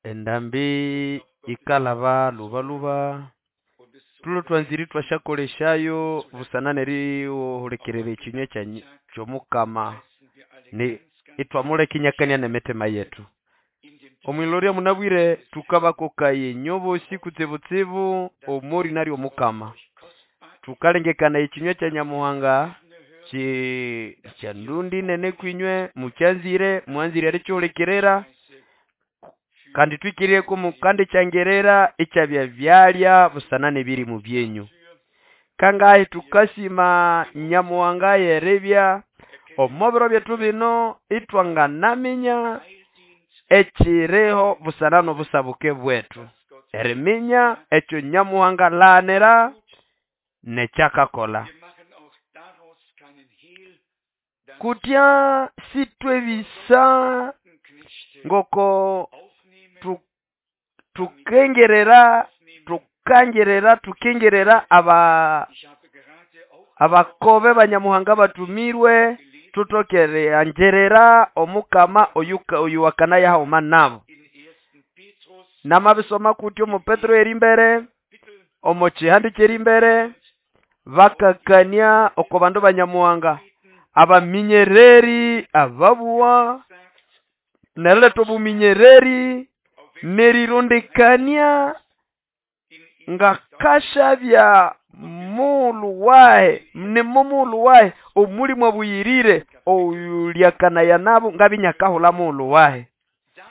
Endambi ikalhaba lhubalhuba thulhwe thwanzire ithwasyakolesyayo busana nerihulikirira ekinywa kyomukama ithwamuleka inyakania nemitima yethu. Omwilorya munabwire thukabakokaya inywe bosi kutsibutsibu omorina lyomukama. Thukalengekanaya ekinywa kya Nyamuhanga kyandundi nene kwinywe mukyanzire mwanzire erikihulikirira kandi thwikirire kumukandikyangirira ikyabya byalya busana nebirimu byenyu. Kangahi thukasima Nyamuhanga yeribya omo biro byethu bino ithwanganaminya ekyiriho busana nobusabuke bwethu eriminya ekyo Nyamuhanga alaghanira nekyakakolha. Kutya sithwebisa ngoko thukengerera abakobe ba Nyamuhanga bathumirwe thuthoke eriangyirira omukama oyuwakanaya haghuma nabo. Namabisoma kutya omo Petero erimbere omo kihande kyerimbere bakakania oko bandu ba Nyamuhanga abaminyereri ababuwa neriletha obuminyereri nerirondekania ngakashabya mughulhu wahi nimomughulhu wahi omulimu abuyirire oyulyakanaya nabo ngabya inyakahulha mughulhu wahi.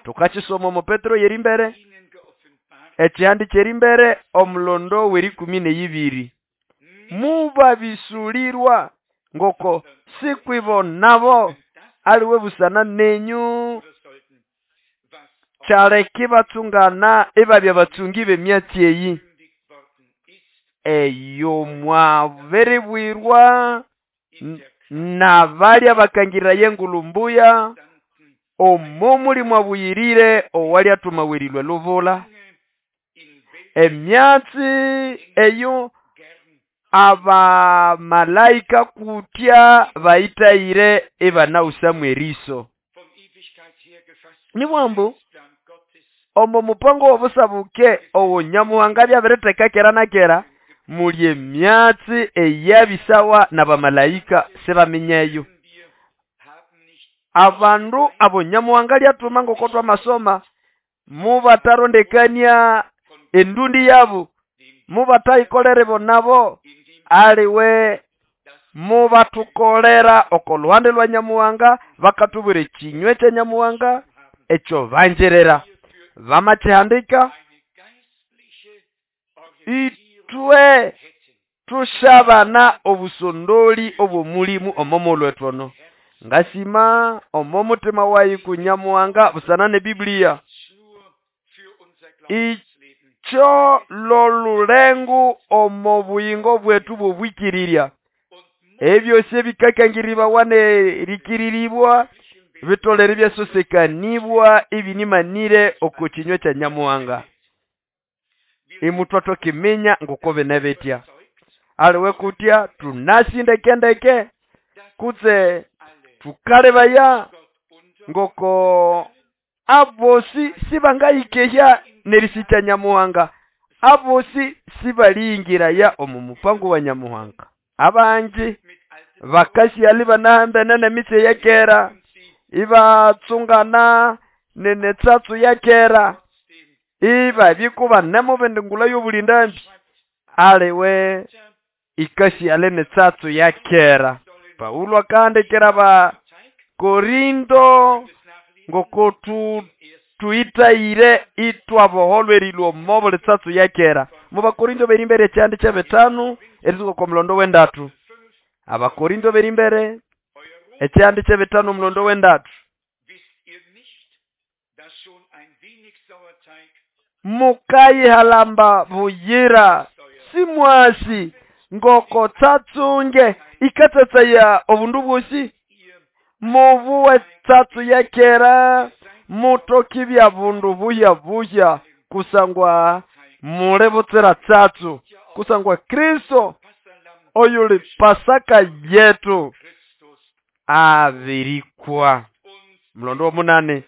Thukakisoma omo Petero yerimbere ekihande kyerimbere omulondo werikumi neyibiri. Mubabisulirwa ngoko sikwibo nabo aliwe busana nenyu kyaleka ibatsungana ibabya batsungi b'emyatsi eyi eyo mwabiribwirwa nabalya bakangirira engulhu mbuya omo mulimu abuyirire owalyathuma erilhwa elubula. Emyatsi eyo abamalaika kutya bayithayire ibanawusamu eriso. Nibwambu omo mupango w'obusabuke owo Nyamuhanga byabiritheka kera na kera muli emyatsi eyabisawa n'abamalaika sibaminyeyo. Abandu abo Nyamuhanga lyathuma ngoko twamasoma mubatarondekania endundi yabo mubathayikolera bo nabo aliwe mubathukolera oko luhande lwa Nyamuhanga bakathubwira ekinywa kya Nyamuhanga ekyo banjirira bamakihandika ithwe thushabana obusondoli obw'omulimu omo mulhwethu ono. Ngasima omo mutima wayi ku Nyamuhanga busana ne Biblia. Ikyo lolulengu omo buyingo bwetu bw'obwikirirya. Ebyosi ebikakangiribawa nerikiriribwa bitolere byasosekanibwa ibinimanire oko kinywa kya Nyamuhanga. Imutwathoka iminya ngoko bine bitya. Aliwe kutya tunasindekendeke kutse thukalebaya ngoko abosi sibangayikehya nerisikya Nyamuhanga. Abosi sibaliyingiraya omu mupango wa Nyamuhanga. Abangi bakasyali banahambene nemitse yakera ibatsungana nenetsatsu yakera ibabikuba nemubindi ngula y'obulindambi aliwe ikasyale netsatsu yakera. Paulo akahandikira ba Korinto ngoko tuitayire itwaboholwa erilwa omo buli tsatsu yakera. Mu Bakorinto berimbere ekyihande kyebitano erisuka kwa mulondo w'endatu. Abakorinto berimbere ekyihande kyebitano omulondo w'endatu. Mukayihalamba buyira simwasi ngoko tsatsunge ikatsatsaya obundu bwosi mubuwe tsatsu yakera mutokibya bundu buya buya kusangwa mule butsira tsatsu kusangwa Kristo oyuli Pasaka yetu abirikwa. Kwa mulondo womunane,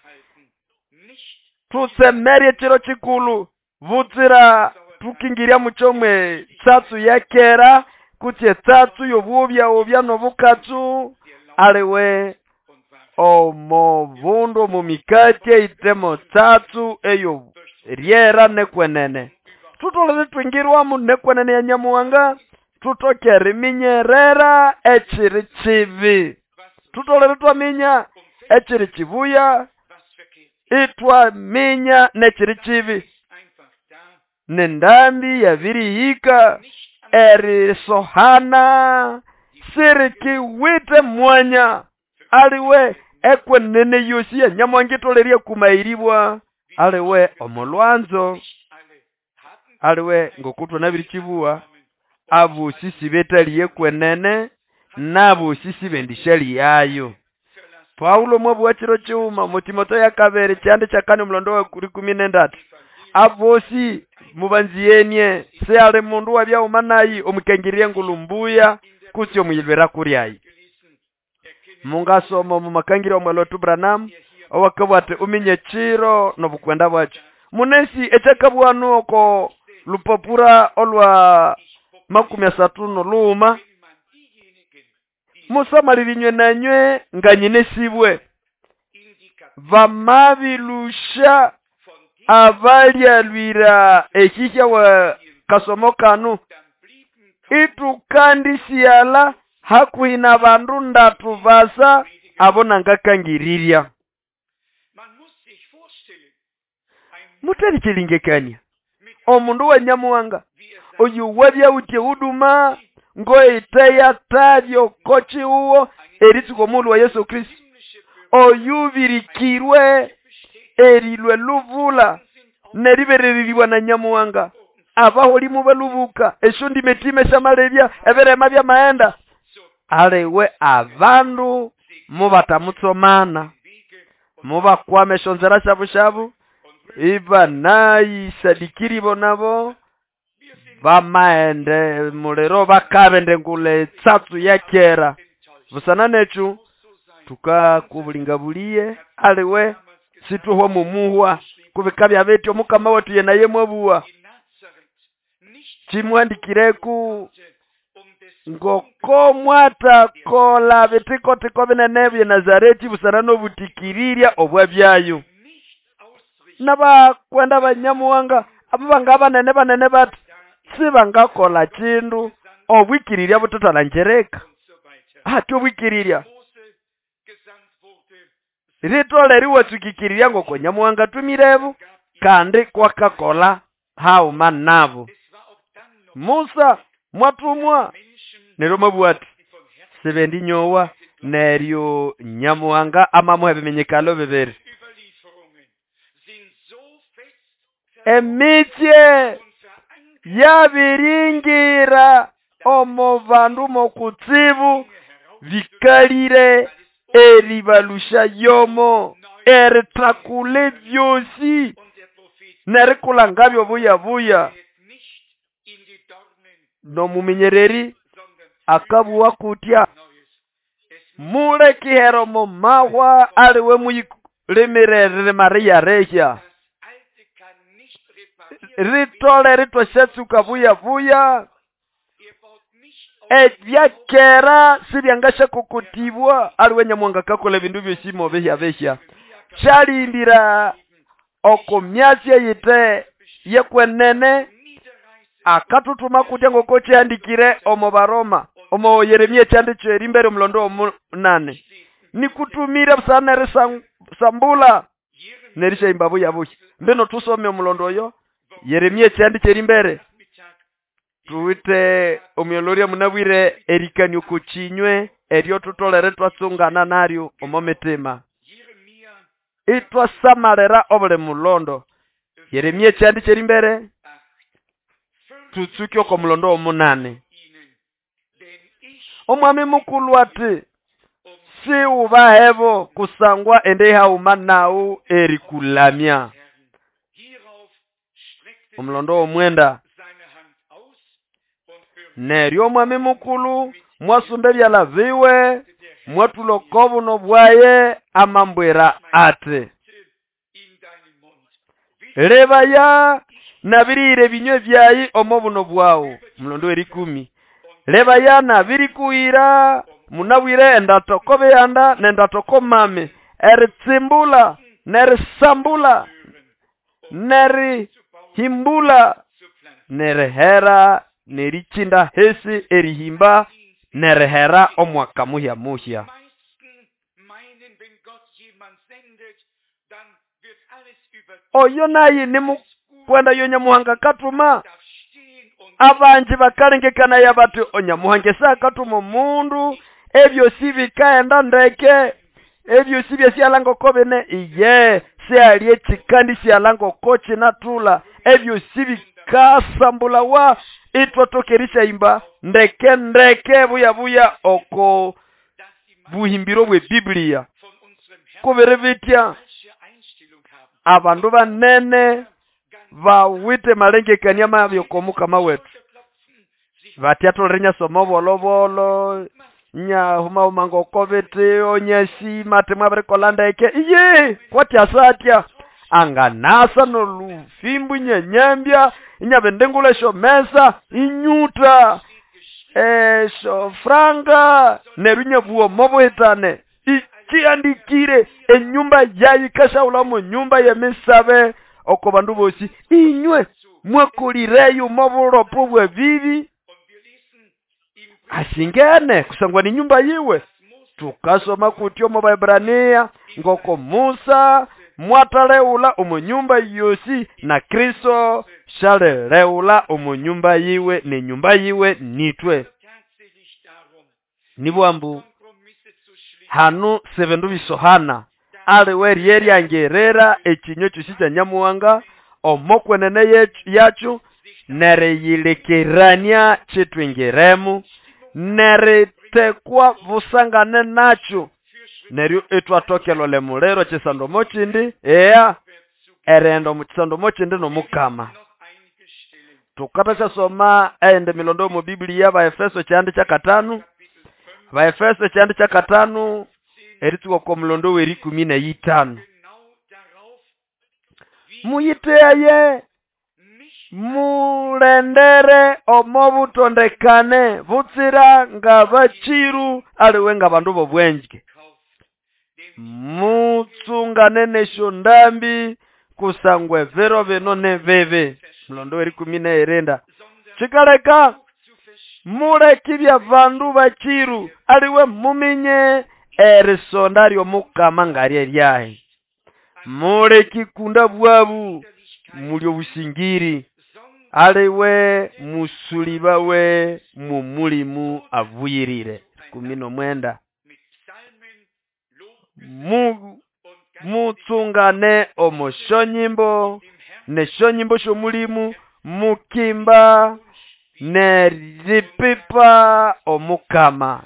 tutsemere ekiro kikulu butsira tukingirya mukyomwe tsatsu ya kera kutse etsatsu y'obubya obya n'obukatsu aliwe omo bundu omu mikati eyitemo tsatsu eyo ryera nekwenene. Tutolere twingirwamu nekwenene ya Nyamuhanga, tutoke eriminyerera ekiri kibi, tutolere twaminya ekiri kibuya, itwaminya nekiri kibi. Nendambi yabirihika erisohana sirikiwite mwanya aliwe ekwenene yosi ya Nyamuhanga itolerye kumairibwa aliwe omulwanzo aliwe ngokutwa nabirikibuwa abosi sibetaliye kwenene nabosi sibendishali yayo. Paulo mwabuwa chiro chiuma mu Timotheo ya kabiri kyandi kyakane omulondo wa 13 abosi mubanziyenie se ali mundu wabyauma nayi omukangirye ngulumbuya kutsi omuyilwera kuryayi. Mungasoma mu makangiro omwalotu Branham owakabwa ati uminye chiro nobukwenda bwakyo munesi ekyakabwanu oko lupapura olwa 35 musamalirinywe nanywe nganyinesibwe vamabilusha abalyalwira ekihya wa kasomo kanu itukandisiala hakuhi na bandu ndatu basa abo nangakangiriria. Mutarikilingekania omundu wa Nyamuhanga oyu wabyawutye huduma ngoiteya tavyo kochi uwo eritsuko mulu wa Yesu Kristo oyubirikirwe erilwe luvula neribereririwa na Nyamuhanga abaholi mubalubuka esyo ndimetime syamalebya eberema bya maenda aliwe abandu mubatamutsomana mubakwame eshonzera shabu shabu iba nayisadikiri bonabo bamaende mulero bakabende ngule tsatsu ya kera busana nechu tukakubulingabuliye aliwe situhwa mumuhwa kubika bya betyo omukama wetu ye naye mwabuwa chimwandikireku ngoko mwatakola bitikotiko binene bye Nazareti busana n'obutikiriria obwa byayo. N'abakwenda banyamuhanga abo banga banene banene bati sibangakola kindu obwikirirya butatalangereka ati obwikirirya ritole riwatsukikirirya ngoko Nyamuhanga tumirebu kandi kwakakola hauma nabo. Musa mwatumwa neryo mwabuwa ati sibendi nyowa neryo Nyamuhanga amamuha ebimenyekalo bibiri. Emitsye yabiringira omo bandu mokutsibu bikalire eribalusha yomo eritakule byosi nerikulangabyo buya buya. Nomumenyereri akabuwa kutya mule kihero momahwa aliwe muyilemerere Maria rehya ritole ritwashatsuka buya buya ebyakera sibyangasha kukutibwa aliwe Nyamuhanga kakola ebindu byosimo behya behya shalindira oko myasi eyite yekwenene akatutuma kutya ngoko kyandikire omo Baroma omo Yeremia kyandikyo erimbere omulondo omunane nikutumire busana erisambula nerishaimba buya buya. Mbino tusome omulondo oyo Yeremia kyandikyo erimbere tuwite omuyoloria munabwire erikanio kuchinywe eryo tutolere twatsungana naryo omo mitima itwasamalera obuli mulondo. Yeremia kyandikyo erimbere tutsuke oko mulondo omunane. Omwami mukulu ati siubahebo kusangwa ende hauma nawu erikulamya. Omulondo omwenda neryo omwami mukulu mwasumba ebyala biwe Mwatula oko buno bwaye amambwira ati, lebaya nabirihira ebinywa byayi omo buno bwawu. Mulondo w'erikumi, lebaya nabirikuhira munabwire endatoko bihanda nendatoko mame, eritsimbula nerisambula nerihimbula nerihera nerichinda hesi erihimba nerihera omwaka muhya muhya. Oyo naye nimukwenda yo Nyamuhanga katuma. Abanji bakalengekana ya bati Onyamuhanga esa akatuma omundu ebyosi bikaenda ndeke, ebyosi byasyalanga oko bine. Iye syali ekikandi syalanga oko kinatula, ebyosi bikasambulawa itwatoka erishahimba ndeke ndeke buya buya oko buhimbiro bwe Biblia. Kubiri bitya abandu banene bawite malengekania mabi oko Mukama wetu. Batyatolere nyasoma bolobolo nyahumahuma ngoko biti onyasi mate mwabirikola ndeke. Iye kwatyasa atya anganasa nolufimbu nyenyembya inyabendengula esyo mesa inyuta esyo franga neryo inyabuwa omobuhitane. Ikiandikire enyumba yayi kashaula mu nyumba y'emisabe oko bandu bosi. Inywe mwakolireyo mobulopo bwe bibi ashingene kusangwa ni nyumba yiwe. Tukasoma kutyo mu Baebrania ngoko Musa mwataleula omu nyumba yosi na Kristo shaleleula omu nyumba yiwe ne nyumba yiwe nitwe. Nibwambu hanu sebendu bisohana aliwe ryeryangerera ekinyo kyosi kya Nyamuhanga omokwenene yacu nereyilekerania chitwingiremu neritekwa busangane nacho neryo etwatokelole mulero chisando mochindi eya erendo muchisando mochindi nomukama. Tukatashasoma ende milondo mu Biblia Baefeso kyandi kya katano, Baefeso kyandi kya katano eritsuka ko mulondo w'erikumi na itano. Muyiteye mulendere omobutondekane butsira nga bachiru aliwe nga bandu bobwenje. Mutsungane nesho ndambi kusangwe vero bino ne bebe. Mulondo w'erikumi na irenda. Chikaleka mulekibya bandu bachiru aliwe muminye erisonda ly'omukama ngarye lyahe. Mulekikunda bwabu mulyo busingiri aliwe musulibawe mu mulimu avuyirire. 19. Mutsungane omoshonyimbo neshonyimbo shomulimu mukimba neripipa omukama.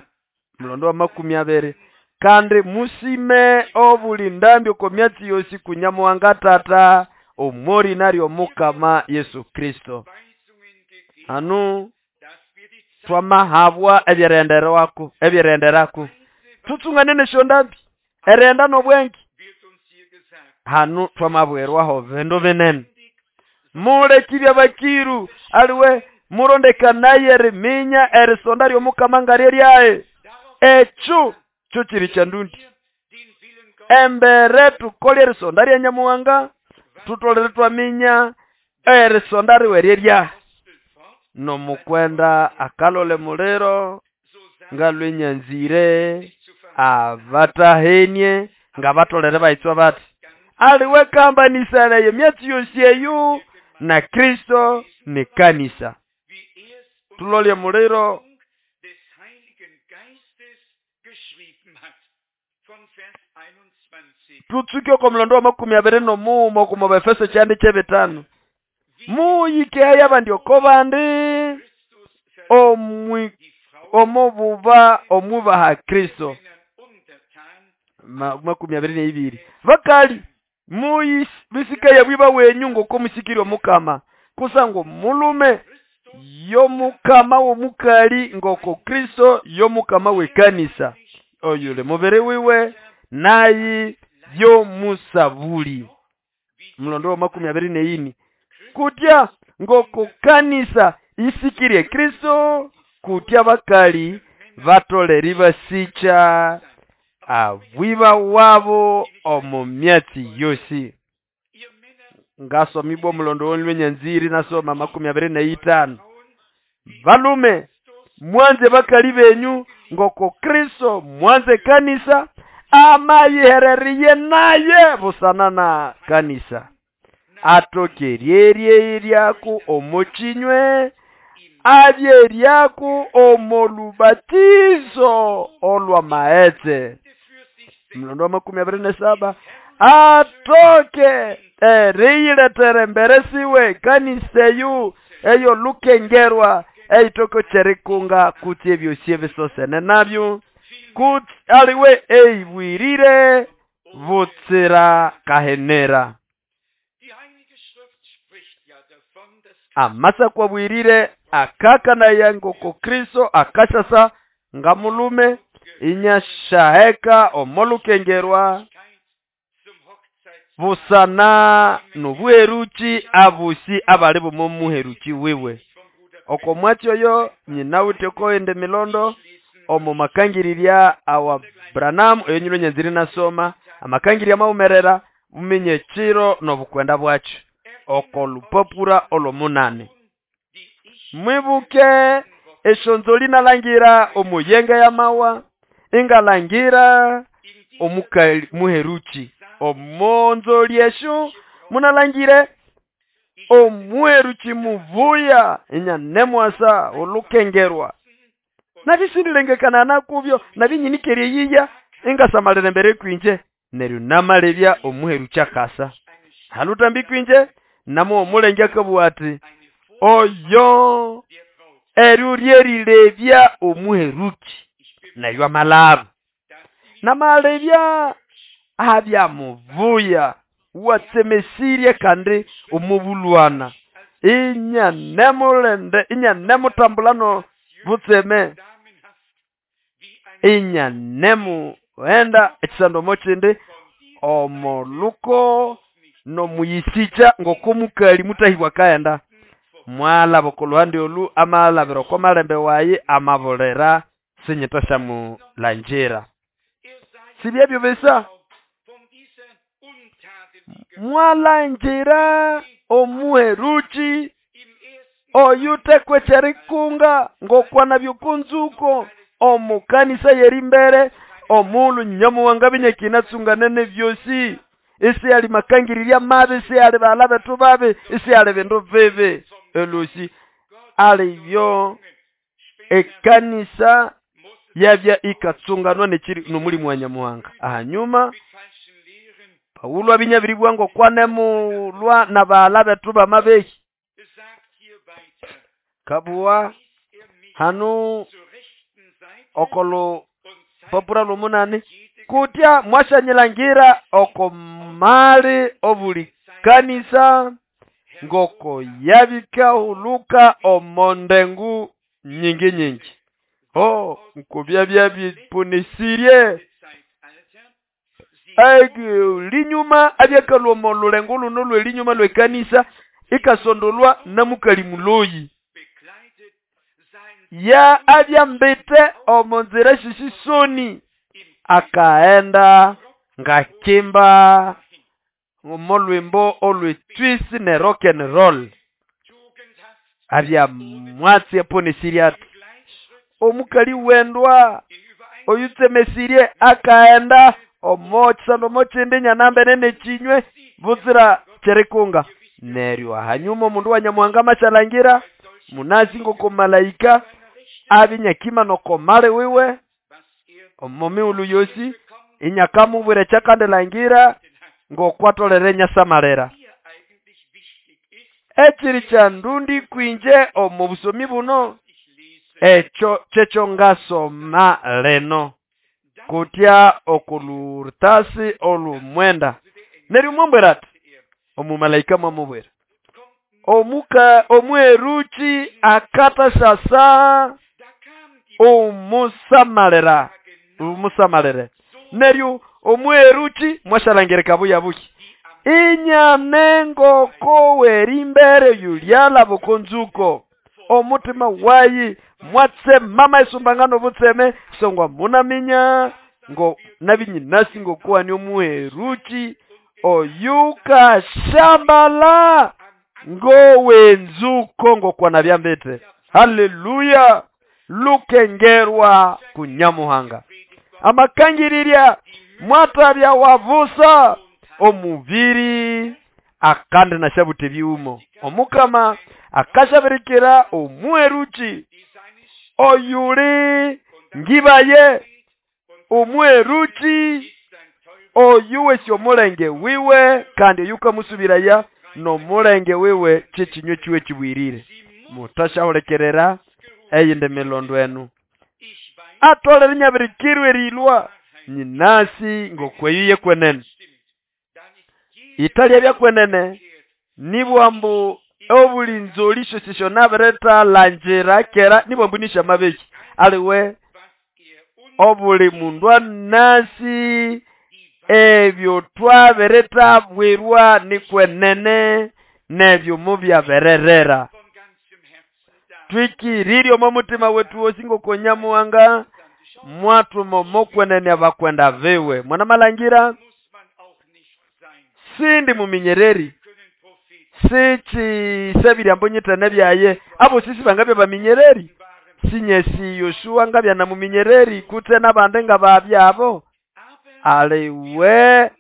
Mulondo wa 20. Kandi musime obuli ndambi oko myatsi yosi kunyamuhanga tata omori naryo mukama Yesu Kristo. Anu twamahabwa ebyerenderwako ebyerenderako tutsungane nesho ndambi erenda nobwengi. Hanu twamabwerwaho bindu binene. Mulekibya bakiru aliwe murondekanaye eriminya erisonda ly'omukama ngarye lyaye. Ekyo kyo kiri kya ndundi. Embere tukole erisonda lya Nyamuhanga tutolere twaminya erisonda riwerye lya nomukwenda akalole muliro ngalwenyanzire abatahenie ngabatolere baitswa bati aliwe kambanisana ye myatsi yosi eyo na Kristo ni kanisa. Tulolye muliro tutsuke oko mulondo wa 21 okumo Baefeso kyandi ky'ebitano. Muyike ayabandi oko bandi omububa omubaha Kristo. 22. Bakali muyisika yabwiba wenyu ngoko musikiri omukama kusango mulume yomukama womukali ngoko Kristo yomukama wekanisa. Oyuli mubiri wiwe nayi yomusabuli. Mulondo wa 24 kutya ngoko kanisa isikirie Kristo kutya bakali batoleri basicha abwiba wabo omu myatsi yosi. Ngasomibwa omulondo w'olwenyanziri nasoma 25. Balume mwanze bakali benyu ngoko Kristo mwanze kanisa amayihereriye naye busana na kanisa atokeryerie ryaku omuchinywe abyeryaku omolubatizo olwa maetse. Mlondo wa 27 atoke eriyiletere mbere siwe kanisa eyu eyo lukengerwa eitoko cherikunga kuti ebyosi ebisosene nabyo kuti aliwe eibwirire butsira kahenera. Amasa kwabwirire akakana yangoko Kristo akashasa ngamulume inyashaheka omolukengerwa busana nobweruchi abusi abali bomomuheruchi wiwe. Oko mwatsi oyo nyinawite koende milondo omo makangirirya awa Branham enyulo nyanziri nasoma amakangirya maumerera umenye chiro nobukwenda bwacho oko lupapura olomunane. Mwibuke eshonzoli nalangira omuyenga ya mawa ingalangira omukali muheruchi omonzoli esho munalangire omuheruchi muvuya inyanemwasa olukengerwa nabisindirengekana nakubyo nabinyinikeriye yiya ingasamalira mbere kwinje neryo namalebya omuheruchi akasa halutambi kwinje namo omulenge akabwa ati oyo eryo ryerilebya omuheruchi nayo amalaba namalebya abya muvuya watsemesirie kandi omubulwana inyanemulende inyanemutambulano butseme inyanemuenda ekisando mochindi omoluko nomuyisicha ngokomukali mutahibwa kaenda mwalaba okoluhande olu amalabira oko malembe wayi amabulera sinyitoshamulanjira sibyebyo bisa mwalanjira omuheruchi oyutekwe cherikunga ngokwana byokunzuko omukanisa yerimbere omulu nyamuwanga binyekinatsungane byosi isi ali makangirirya mabi isi ali bala betu babi isi ali bindu bibi elusi alibyo ekanisa yabya ikatsunganwa nechiri nomulimu wa Nyamuhanga. Ahanyuma Paulo abinyabiribwa ngo kwanemulwa na bala betu bamabehi kabuwa hanu okolo papura lumunani kutya mwashanyilangira oko mali obuli kanisa ngoko yabika huluka omondengu nyingi nyingi. Oh nkobya byabiponesirie linyuma abyakalwa omolulengo luno lwelinyuma lwekanisa ikasondolwa namukali muloyi ya abyambite omonzira shishisoni akaenda ngakimba omolwimbo olwetwisi ne rock and roll abya mwatsi aponesirie omukali wendwa oyutsemesirie akaenda omokisando mochindi nyanambe nene chinywe butsira cherikunga. Neryo hanyuma omundu wa Nyamuhanga mashalangira munasi ngoko malaika abinyakima nokomale wiwe omomiulu yosi inyakamubwire chakandelangira ngokwatolere nyasamalera. Ekiri kya ndundi kwinje omu busomi buno echo checho ngasoma leno kutya okulurtasi olumwenda. Neryo mwambwera ati omumalaika mwamubwera omuka omweruchi akata sasa omusamalera Umusamalire neryo omweruki mwashalangirika buya buki inyane ngoko werimbere yulyalaba oko nzuko omutima wayi mwatsema isumbangano obutseme songwa munaminya ngo nabinyinasi ngokuwani omuheruki oyukashambala ngowenzuko ngokwana byambite. Haleluya. Lukengerwa kunyamuhanga amakangirirya mwatabya wavusa omubiri akande nashabute byumo omukama akashabirikira omuheruki oyuli ngibaye omuheruki oyuwesi omulenge wiwe kandi oyukamusubiraya nomulenge wiwe kyekinywe kiwe kibwirire mutashahulekerera eyindi milondo enu atolere nyabirikirwe erilwa nyinasi ngokweyiye kwenene italya byakwenene nibwambu obulinzolisho sisho nabereta lanjira kera nibwambu nisha mabeki aliwe obuli mundu anasi ebyo twabereta bwirwa nikwenene nebyo mubyabererera twikiririe omo mutima wetu wosi ngokonyamuhanga mwatuma mokwenene abakwenda biwe mwana malangira sindi muminyereri sichi sebirya mbonyitene byaye abo sisi bangabya baminyereri sinyesi Yoshua ngabya na muminyereri kutse nabande ngababyabo aliwe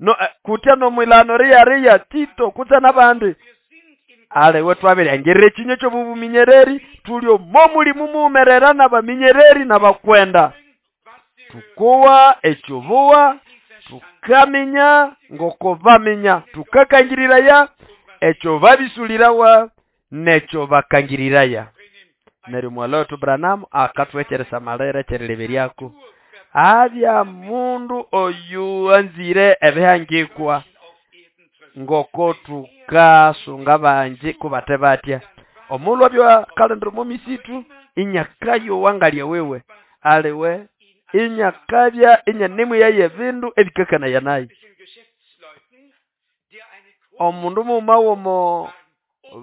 no kutya nomwilano riya riya Tito kutse nabandi aliwe twabiryangerere ekinyo kyobubuminyereri tuli omo mulimu mumerera nabaminyereri nabakwenda tukuwa ekyobuwa tukaminya ngoko baminya tukakangiriraya ekyo babisulirawa nekyo bakangiriraya. Neryo mwaloto Branham akatwecheresa malere kyerileberyako abya mundu oyu anzire ebihangikwa ngoko tukasunga banji kubate batya omulwa bya kalendro momisitu inyakayo wangalya wewe aliwe inyakabya inyanemu yaye bindu ebikakana yanayi omundu mumawomo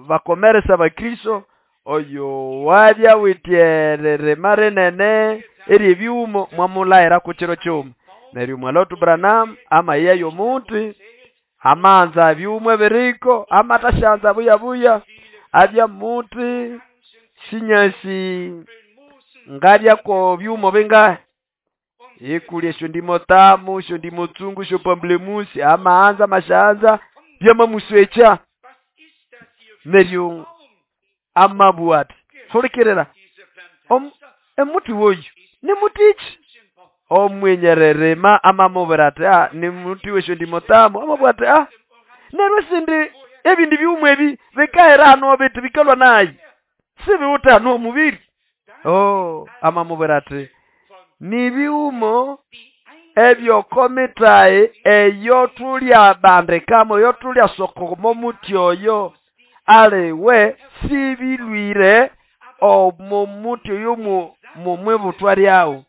bakomeresa bakristo oyo wabya wityerere marenene eri ebyumo mwamulaira ku kiro kyuma neryo mwaloto Branham amaye yomuti amanza byumwe biriko amatashanza buya buya abya muti sinyasi ngabya ko byumo bingahe ikulye esyo ndimo tamu esyo ndimo tsungu esyo pamblemusi amaanza mashanza byamamuswecha neryo amabwati solekerera emuti woyu ni mutichi omwenyererema amamubwira ati ah ni muti wesyo ndimo tamu amabwati ah neryo sindi ebindi byumwe ebi bikahera hano bitu bikalwa nayi sibiwuta hano omubiri oh amamubwira ati nibiumo ebyokomitayi eyo tulya bandikamo eyo tulya sokomo muti oyo aliwe sibilwire omo muti oyo mumwibutwa lyawo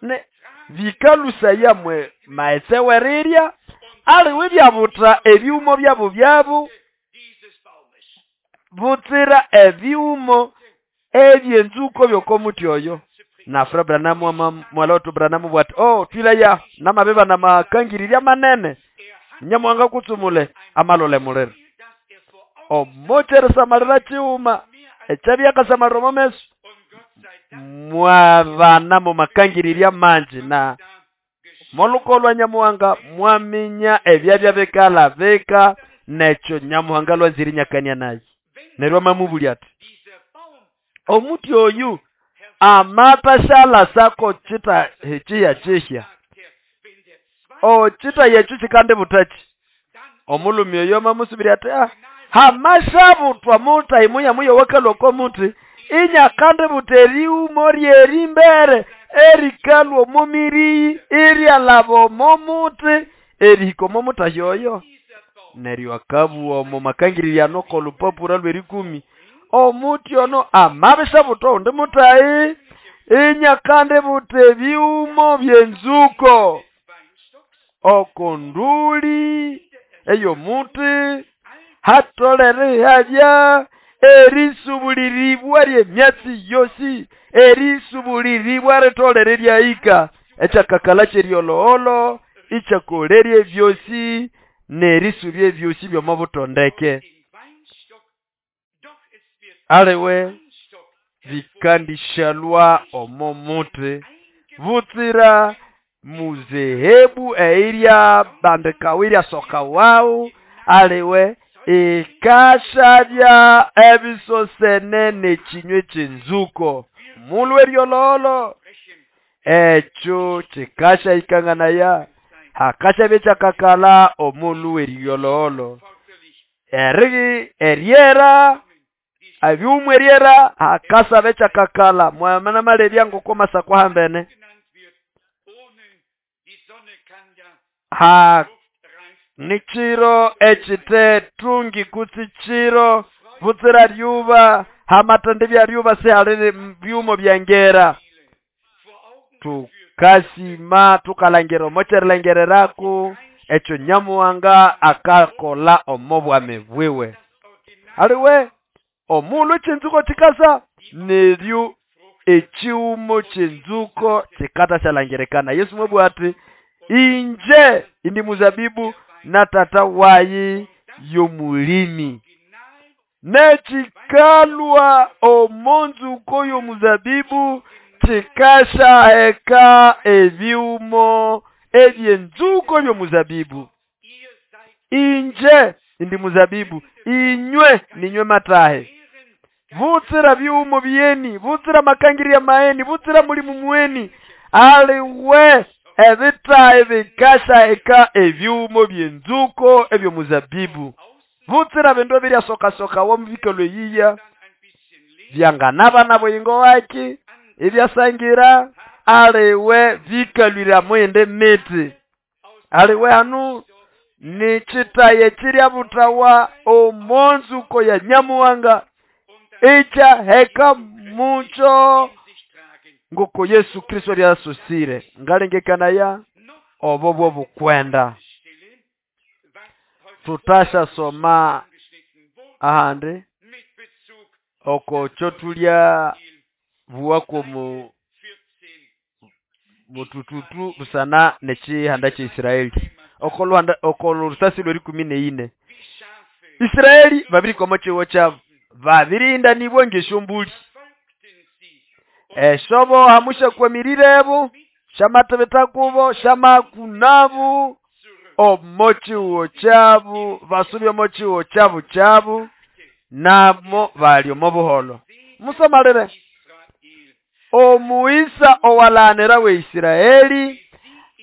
ne bikalusa mwe maetse werirya aliwe byabuta ebyumo byabo byabo butsira ebyumo ebyenzuko byokomuti oyo. Na Fra Branham mwaloto Branham bwati oh twilaya namabeba namakangiriria manene nyamwanga kutsumule amalole mulero omocheresa malira chiuma echabyakasamalira momeso mwabana mumakangiriria manji na molukolwa nyamuhanga mwaminya ebyabya bikala bika nekyo nyamuhanga lwanziri nyakania naye neryo mamubuli ati omuti oyu amatashala sako chita hechiya chihya o chita yechu chikande butachi omulumi oyo mamusubiri ati ah hamashabutwa muta imuya muyo wakaloko muti inyakande buteri umoryeri mbere erikalwo mumiri eryalabo momuti erihiko momutayoyo neryo akabuwa omo makangiriria noko lupapura lwerikumi omuti ono amabishabutwa undi mutayi Inyakandi buta ebyumo by'enzuko oko nduli ey'omuti hatolere ihabya erisubuliribwa ly'emyatsi yosi, erisubuliribwa ritolere lyahika ekyakakala ky'eryoloholo ikyakolerya ebyosi n'erisubya ebyosi by'omo butondeke. Aliwe bikandishalwa omo muti butsira muzehebu eirya bandikawa iryasokawawu aliwe ikashabya ebisosene n'ekinywa eky'enzuko mulhu eryoloholo ekyo kikashayikanganaya hakashabya ekyakakala omulhu eryoloholo eryera ebyumu eryera hakasaba ekyakakala mwamana malebya ngoko masako hambene ha nikiro ekite tungi kutsi kiro butsira lyuba hamatende bya lyuba sihali byumo byangera tukasima tukalangira omokyerilengereraku ekyo Nyamuhanga akakola omo bwami bwiwe. Aliwe omulhu eky'enzuko kikasa neryo ekiwumo ky'enzuko kikatasyalangirekana. Yesu mwabugha ati inje indi muzabibu na tata wayi y'omulimi. Nekikalwa omo nzuko y'omuzabibu kikashaheka ebyumo eby'enzuko by'omuzabibu. Inje indi muzabibu, inywe ninywe matahe. Butsira byumo byeni, butsira makangirya maeni, butsira mulimu mweni. Aliwe ebitahe bikashaheka ebyumo by'enzuko eby'omuzabibu. Butsira bindu ebiryasokasoka womubikalo eyiya byanganaba buyingo waki ebyasangira aliwe bikalwira mwende miti. Aliwe hanu nikitaye kirya butawa omonzuko ya Nyamuhanga ikyaheka mucho ngoko Yesu Kristo lyasusire. Ngalengekanaya obo bwo bukwenda. Tutasha soma ahandi oko kyotulya buwako mu mutututu busana n'ekihanda ky'Isiraeli. Oko lusasi lw'erikumi n'eine Isiraeli babirikoma kiwo kyabo babirindanibwa ng'esyombuli esyobo hamushakwamirirebo shamatebetakubo shamakunabu omo kiwo kyabo basubya omo kiwo kyabo kyabo namo bali omo buholo. Musomalire omuisa owalanira we Isiraeli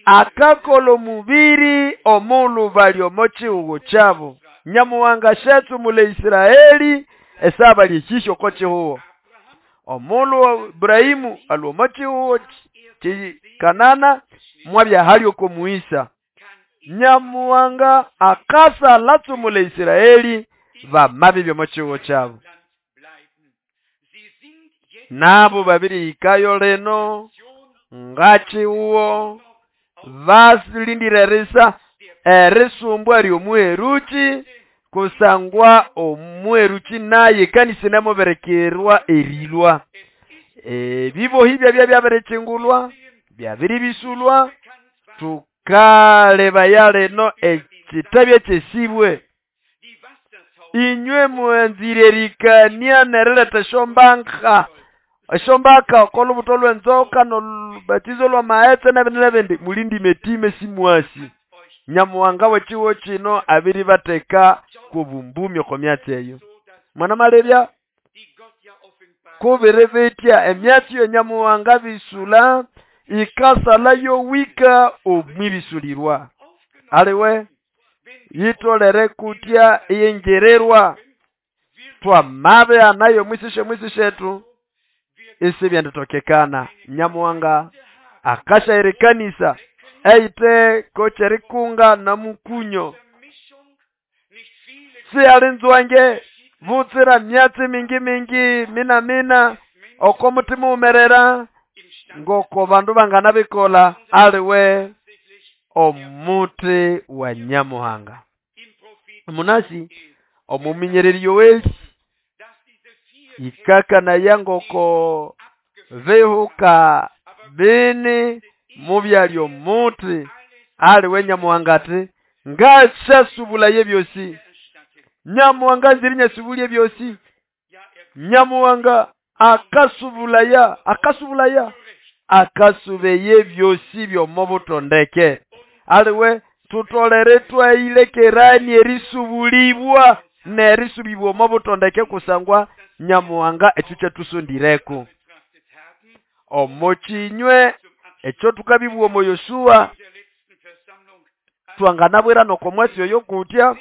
akakola omubiri omulhu bali omo kihugo kyabo. Nyamuhanga shatsumula Isiraeli esaba lyekisho oko kihugo. Omulhu Ibrahimu alwa omo kihugo Kanana mwabya hali oko muisa. Nyamuhanga akasa latsumula Isiraeli bamabi omo kihugo kyabo. Nabo babirihikayo lino ngakihugo basilindira erisa erisumbwa ly'omuheruki kusangwa omuheruki naye kanisa namuberekerwa erilwa. Ebibohi byabya byabirikyingulwa byabiribisulwa tukalebaya lino ekitabya ekyesibwe. Inywe mwanzire erikania nerileta esyombaka esyombaka oko lubuto lw'enzoka n'olubatizo lw'amaghetse n'ebindi n'ebindi mulindime etime simwasi. Nyamuhanga w'ekihugo kino abiribatheka kw'obumbumi oko myatsi eyo. Mwana malebya kubiri bitya emyatsi yo Nyamuhanga bisula ikasala yowika omwibisulirwa. Aliwe yitolere kutya iyengererwa twamabe anayo mwisishe mwisishetu isibyanditokekana. Nyamuhanga akashairikanisa eite kocherikunga na mukunyo sialinzwange butsira myatsi mingi mingi mina mina oko mutima umerera Ngoko bandu banganabikolha aliwe omuti wa Nyamuhanga. Munasi omuminyereri Yoeli ikakanaya ngoko bihuka bini mubyali omuti aliwe Nyamuhanga ati ngasyasubulaya ebyosi. Nyamuhanga nziri nyasubulya ebyosi. Nyamuhanga akasubulaya, akasubulaya, akasubeye ebyosi by'omubutondeke. Aliwe tutolere twayilekerani erisubulibwa nerisubibwa omubutondeke kusangwa Nyamuhanga ekyo kyatusondireko. Omo kinywe ekyo tukabibwa omo Yoshua twanganabwira noko mwasi oyo kutya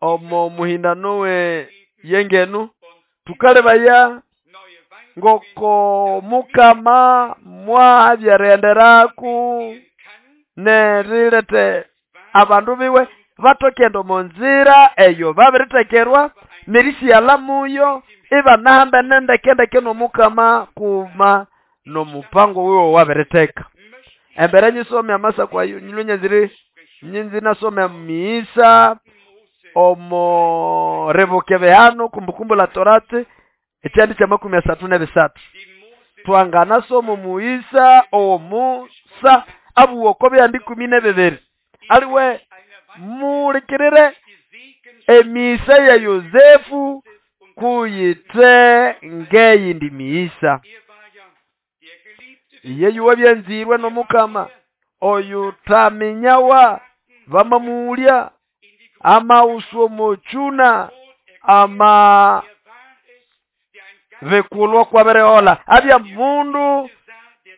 omo muhindano we yengenu tukalebaya ngoko mukama mwabyerenderaku nerilete abandu biwe batokenda omo nzira eyo babiritekerwa nerisiala muyo ibanahamba nendekendeke nomukama kuma nomupango wiwe wabiriteka. Embere nyisome amasa kwayo nyilwe nyinzi nasome misa omo rebuke behano kumbukumbu la Torati ekyandi kya 33. Twanganasoma muisa omusa abuwoko byandi 12. Aliwe mulikirire emisa ya Yosefu kuyite ngeyindi miisa. Iye yuwa byanzirwe nomukama oyu taminyawa bamamulya amauso mochuna ama vekulwa kwa bereola abya mundu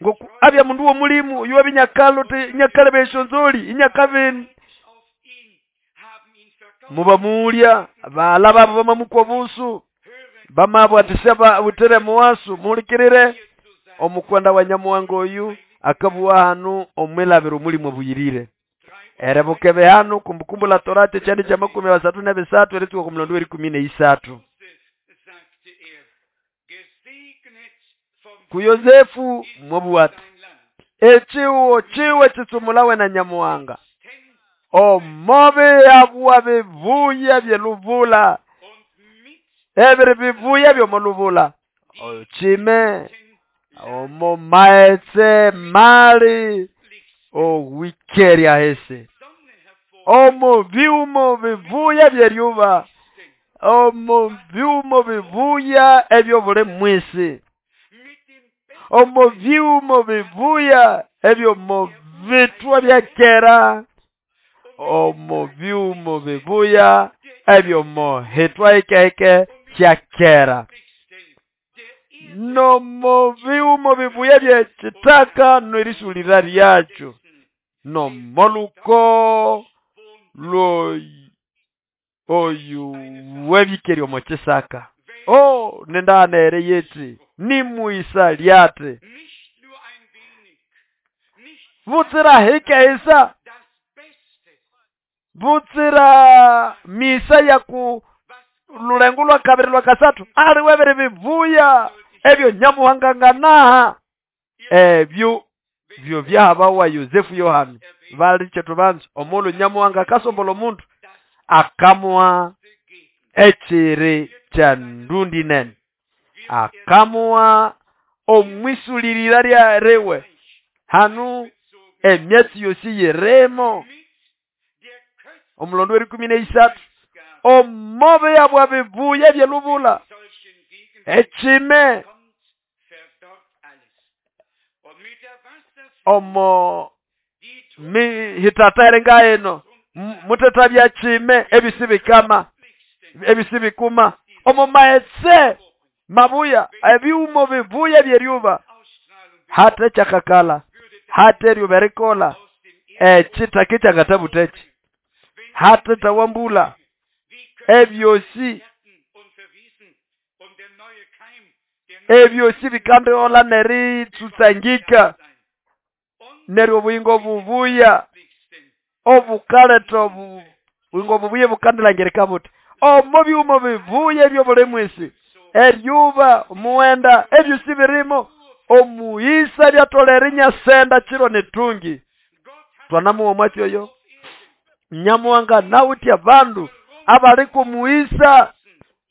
ngoku abya mundu wo mulimu yuwa binyakalo te nyakale beshonzoli inyakabeni mubamulya balaba bamamukwa busu bamabwatisha butere muwasu. Mulikirire omukwenda wa Nyamuhanga oyu akabuwa hanu omwilabiro mulimu buyirire. Erebuke behanu kumbukumbu la Torati kyandi kya 33 erituka ku mulondo 13. Ku Yosefu mwabuwati echiwo chiwe chitsumulawe na Nyamuhanga omobe abuwa bivuya byeluvula ebiri bivuya byomoluvula ochime omo maetse mali owikeria hese omo biumo bivuya byeryuba omo biumo bivuya ebyo buli mwisi omo biumo bivuya ebyo mo vitwa byakera omo biumo bivuya ebyo mo hitwa ikeke kyakera nomo biumo bivuya byekitaka nerisulira lyakyo nomoluko lo oyu webikeri omo kisaka o nendanere yeti nimuisa lyate butsira hike isa butsira misa ya ku lulengu lwa kabiri lwa kasatu ali webere bivuya ebyo Nyamuhanga nganaha ebyo byo byahabawa Yosefu Yohana bali chetubanzo omulu Nyamuhanga kasombola omuntu akamwa ekiri kya ndundi nene akamwa omwisulirira lya rewe hanu emyatsi yosi yeremo omulondo 13 omobe yabwa bivuya byelubula echime omo mihitatere ngaeno muteta bya chime ebisibikama ebisibikuma omo maetse mabuya ebiumo bivuya byeryuba hata chakakala hata eryuberikola echitaki chakatabutechi hata tawambula ebyosi ebyosi bikandeola neritsutsangika neryo obuyingo bubuya obukaleta obuyingo bubuya bukandelangirika buti Omo byuma bibuya ebyobuli mwisi, eryuba, omuwenda, ebyosi birimo. Omuisa byatolera inyasenda chiro netungi. Twanamuwa mwatsi oyo. Nyamuhanga nawuthi abandu abali kumuisa,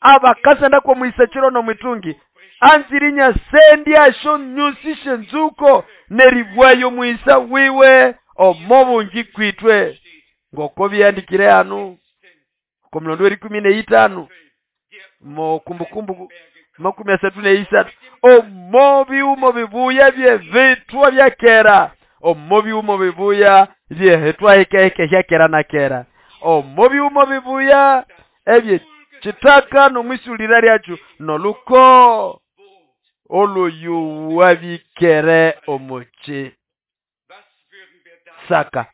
abakasenda kumuisa chiro nomwitungi, anziri nyasendi asho nyusi shenzuko neribwayo muisa wiwe omo bungi kwitwe. Ngoko byandikire hanu komulondo w'erikumi neitano mo Kumbukumbu 33 omo byuma bibuya byevitwa bya kera, omo byuma bibuya byehitwa hekeheke hya kera na kera, omo byuma bibuya ebye chitaka nomwisulira lyacho noluko oloyuwa bikere omochi saka.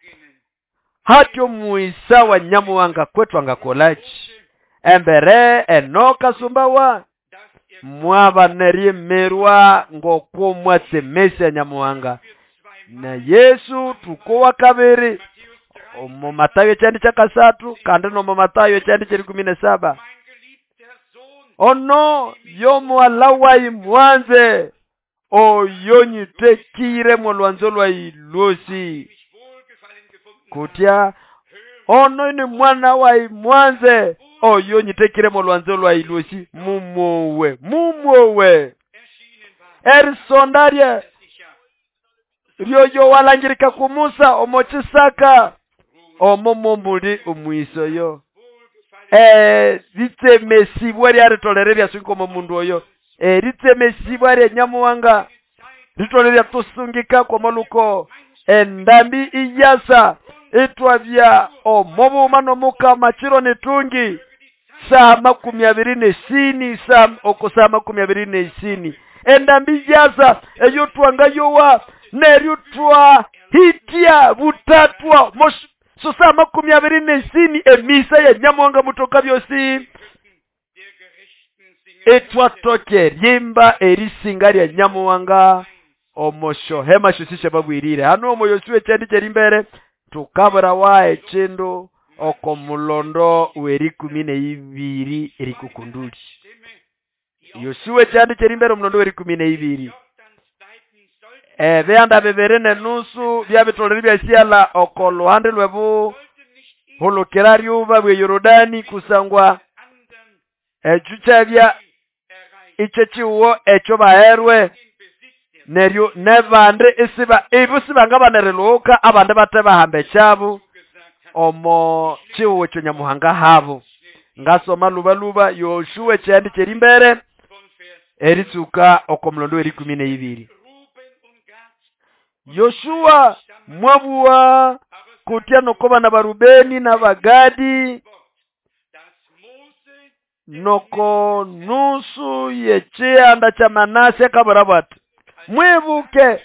Hatyo muisa wa Nyamuhanga kwetu angakolachi embere enoka sumbawa mwaba neryemerwa ngoko mwatsemesya Nyamuhanga na Yesu tukowa kabiri omo Matayo ekyandi kyakasathu kandi nomo Matayo ekyandi kyerikumi nesaba. Ono yomuwala wayi mwanze oyo nyitekire molwanzo lwayi lwosi. Kutya ono ni mwana wayi mwanze oyo nyitekire molwanzo lwayi lwosi. Mumuwe, mumuwe erisondarye ryoyo walangirika ku Musa omo chisaka omo mombuli omwisoyo. Ritsemesibwa ryaritolere ryasunga omo mundu oyo. Ritsemesibwa rya Nyamuhanga ritolere ryatusungika kwomoluko endambi iyasa itwabya omobuma nomukama chiro netungi saa 24 saa oko saa 24 endambi yasa eyo twangayowa neryo twa hitia butatwa so saa 24 emisa ya Nyamuhanga mutoka byosi etwatoke rimba erisinga lya Nyamuhanga omosho hema shosishe babwirire hano omo Yosuwe kyandi kyerimbere tukabura wa echindu oko mulondo werikumi neibiri erikukunduli. Yosuwe kyandi kyerimbere omulondo werikumi neibiri. Ebyanda bibiri nenusu byabitolere byasyala oko luhande lwebu hulukira ryuba bwe Yorodani kusangwa ekyo kyabya ikyo kiwo ekyo baherwe neryo nebandi isiba ibo sibanga banereluka abandi bate bahamba ekyabo omo kiwo ekyo Nyamuhanga habo. Ngasoma lubaluba Yosuwe kyandi kyerimbere eritsuka oko mulondo werikumi neibiri. Yoshua mwabuwa kutya noko bana ba Rubeni na Bagadi noko nusu yekyanda kya Manase kabura bati mwibuke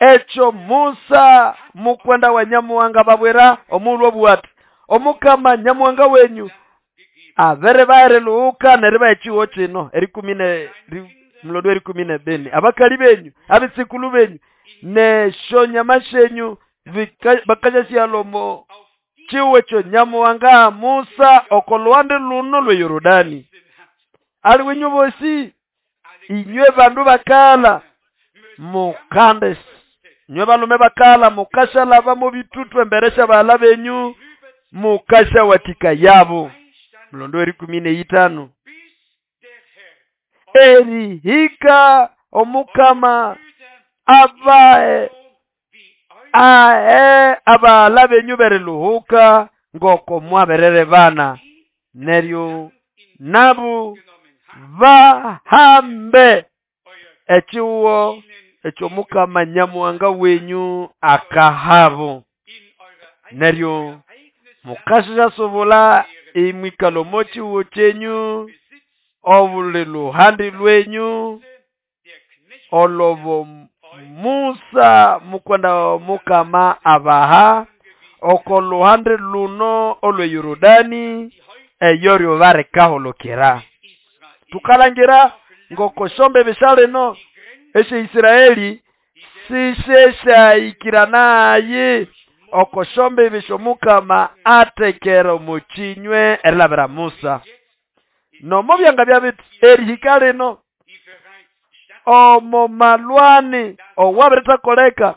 ekyo Musa mukwenda wa Nyamuhanga babwera omulwo bwati omukama Nyamuhanga wenyu abere baereluka neriba ekiwo kino erikumi ne mulondo erikumi nebini abakali benyu abitsikulu benyu nesho nyama shenyu bakaja syalomo chiwe kyo Nyamuhanga Musa oko luhande luno lwe Yorodani. Ali wenyu bosi inywe bandu bakala mukande inywe balume bakala mukashalaba mu bitutu emberesha bala benyu mukasha watika yabo. Mulondo erikumi neitano erihika omukama abae ae abala benyu bereluhuka ngoko mwaberere bana neryo nabu bahambe ekiwo ekyo mukama Nyamuhanga wenyu akahabo neryo mukashasobula imwikalo mochiwo kyenyu obuli luhandi lwenyu olobo Musa mukwenda mukama abaha oko luhande luno olwe Yorodani eyoryo barekaholokera. Tukalangira ngoko shombe bishaleno eshe Israeli sisheshaikiranaye Okoshombibi shomukama atekera omuchinywe erilabira Musa. Nomo byanga byabiti erihika lino omo malwani owabirithakoleka